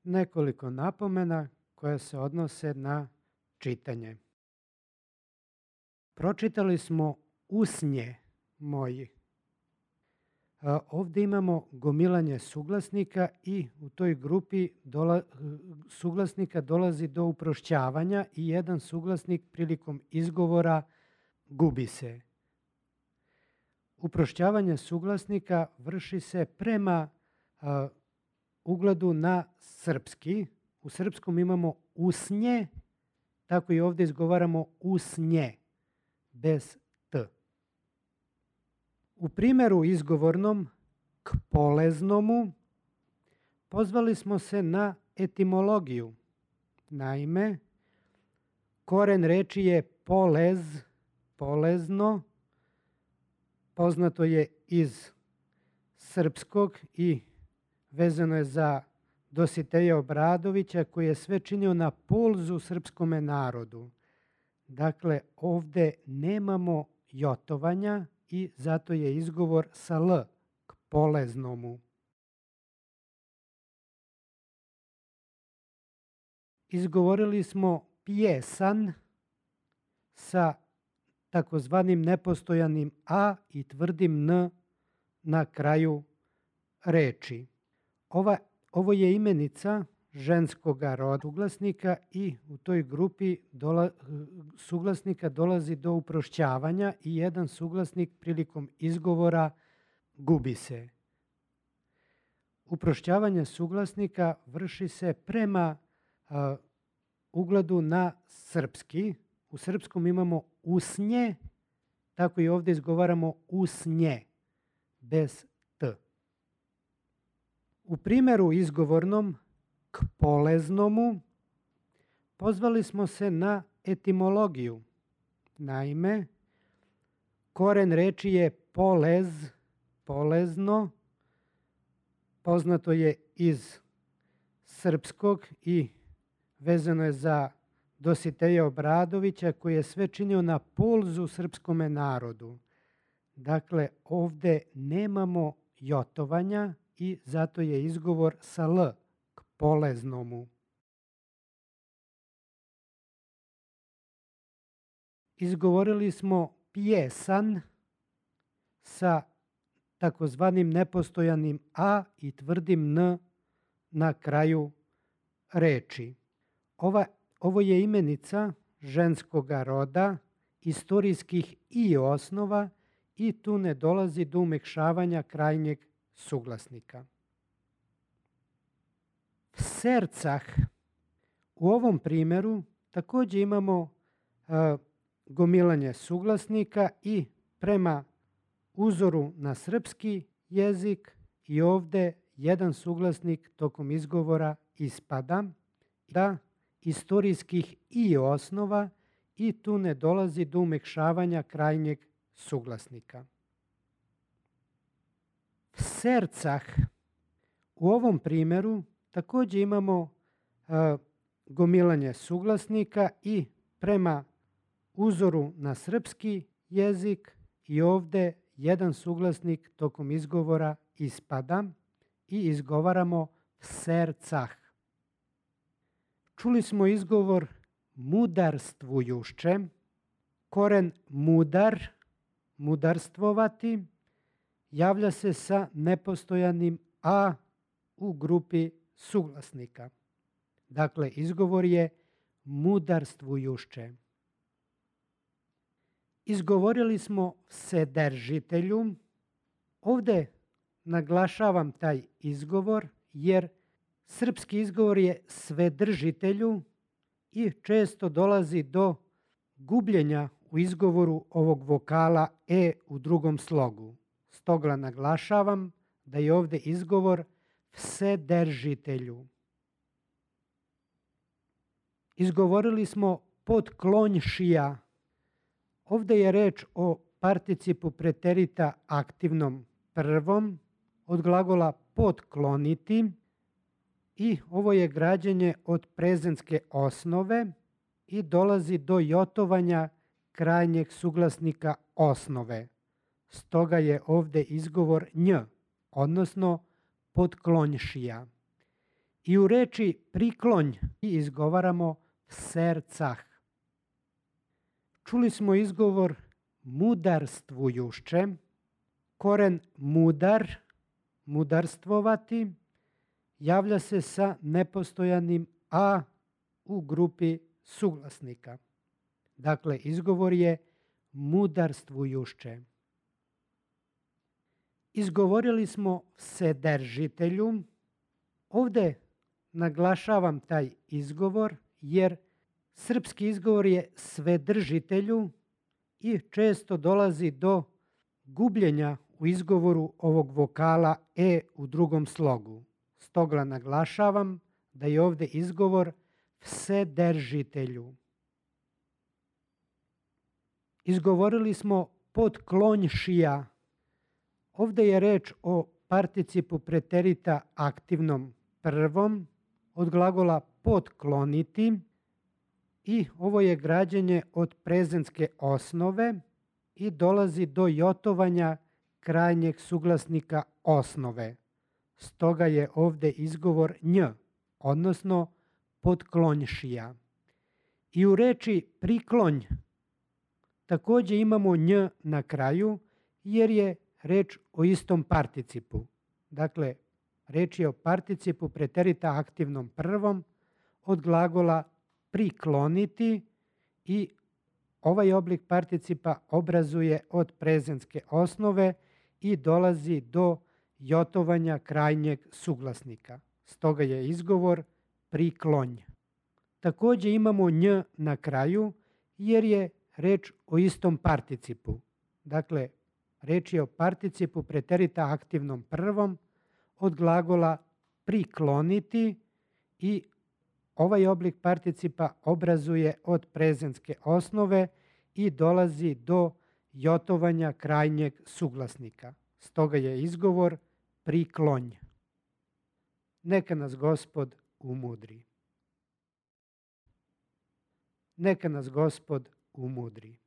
nekoliko napomena koje se odnose na čitanje. Pročitali smo usnje moji. Ovdje imamo gomilanje suglasnika i u toj grupi suglasnika dolazi do uprošćavanja i jedan suglasnik prilikom izgovora gubi se. Uprošćavanje suglasnika vrši se prema ugledu na srpski. U srpskom imamo usnje, tako i ovdje izgovaramo usnje, bez t. U primjeru izgovornom k poleznomu pozvali smo se na etimologiju. Naime, koren reči je polez, polezno, poznato je iz srpskog i vezano je za Dositeja Obradovića koji je sve činio na pulzu srpskome narodu. Dakle, ovdje nemamo jotovanja i zato je izgovor sa l, k poleznomu. Izgovorili smo pjesan sa takozvanim nepostojanim a i tvrdim n na kraju reči. Ovo je imenica ženskoga roda suglasnika i u toj grupi suglasnika dolazi do uprošćavanja i jedan suglasnik prilikom izgovora gubi se. Uprošćavanje suglasnika vrši se prema ugledu na srpski. U srpskom imamo usnje, tako i ovdje izgovaramo usnje, bez t. U primjeru izgovornom k poleznomu pozvali smo se na etimologiju. Naime, koren reči je polez, polezno, poznato je iz srpskog i vezano je za Dositeja Obradovića koji je sve činio na pulzu srpskome narodu. Dakle, ovdje nemamo jotovanja i zato je izgovor sa l, k poleznomu. Izgovorili smo pjesan sa takozvanim nepostojanim a i tvrdim n na kraju reči. Ovo je imenica ženskoga roda, istorijskih i osnova i tu ne dolazi do umekšavanja krajnjeg suglasnika. Sercah. U ovom primjeru također imamo gomilanje suglasnika i prema uzoru na srpski jezik i ovdje jedan suglasnik tokom izgovora ispada da istorijskih i osnova i tu ne dolazi do umekšavanja krajnjeg suglasnika. Sercah. U ovom primjeru također imamo gomilanje suglasnika i prema uzoru na srpski jezik i ovdje jedan suglasnik tokom izgovora ispada i izgovaramo sercah. Čuli smo izgovor mudarstvujušće. Koren mudar, mudarstvovati, javlja se sa nepostojanim a u grupi suglasnika. Dakle, izgovor je mudarstvujušće. Izgovorili smo vsedržitelju. Ovdje naglašavam taj izgovor jer srpski izgovor je svedržitelju i često dolazi do gubljenja u izgovoru ovog vokala e u drugom slogu. Stoga naglašavam da je ovdje izgovor vsedržitelju. Izgovorili smo potklonjšija. Ovdje je reč o participu preterita aktivnom prvom od glagola potkloniti i ovo je građenje od prezentske osnove i dolazi do jotovanja krajnjeg suglasnika osnove. Stoga je ovdje izgovor nj, odnosno potklonjšija. I u reči priklonj izgovaramo sercah. Čuli smo izgovor mudarstvujušće. Koren mudar, mudarstvovati, javlja se sa nepostojanim a u grupi suglasnika. Dakle, izgovor je mudarstvujušće. Izgovorili smo vsedržitelju. Ovdje naglašavam taj izgovor jer srpski izgovor je svedržitelju i često dolazi do gubljenja u izgovoru ovog vokala e u drugom slogu. Stoga naglašavam da je ovdje izgovor vsedržitelju. Izgovorili smo potklonjšija. Ovdje je reč o participu preterita aktivnom prvom od glagola potkloniti i ovo je građenje od prezentske osnove i dolazi do jotovanja krajnjeg suglasnika osnove. Stoga je ovdje izgovor nj, odnosno potklonjšija. I u reči priklonj također imamo nj na kraju jer je reč o istom participu. Dakle, reč je o participu preterita aktivnom prvom od glagola prikloniti i ovaj oblik participa obrazuje od prezentske osnove i dolazi do jotovanja krajnjeg suglasnika. Stoga je izgovor priklonj. Također imamo nj na kraju jer je reč o istom participu. Dakle, reč je o participu preterita aktivnom prvom od glagola prikloniti i ovaj oblik participa obrazuje od prezentske osnove i dolazi do jotovanja krajnjeg suglasnika. Stoga je izgovor priklonj. Neka nas Gospod umudri. Neka nas Gospod umudri.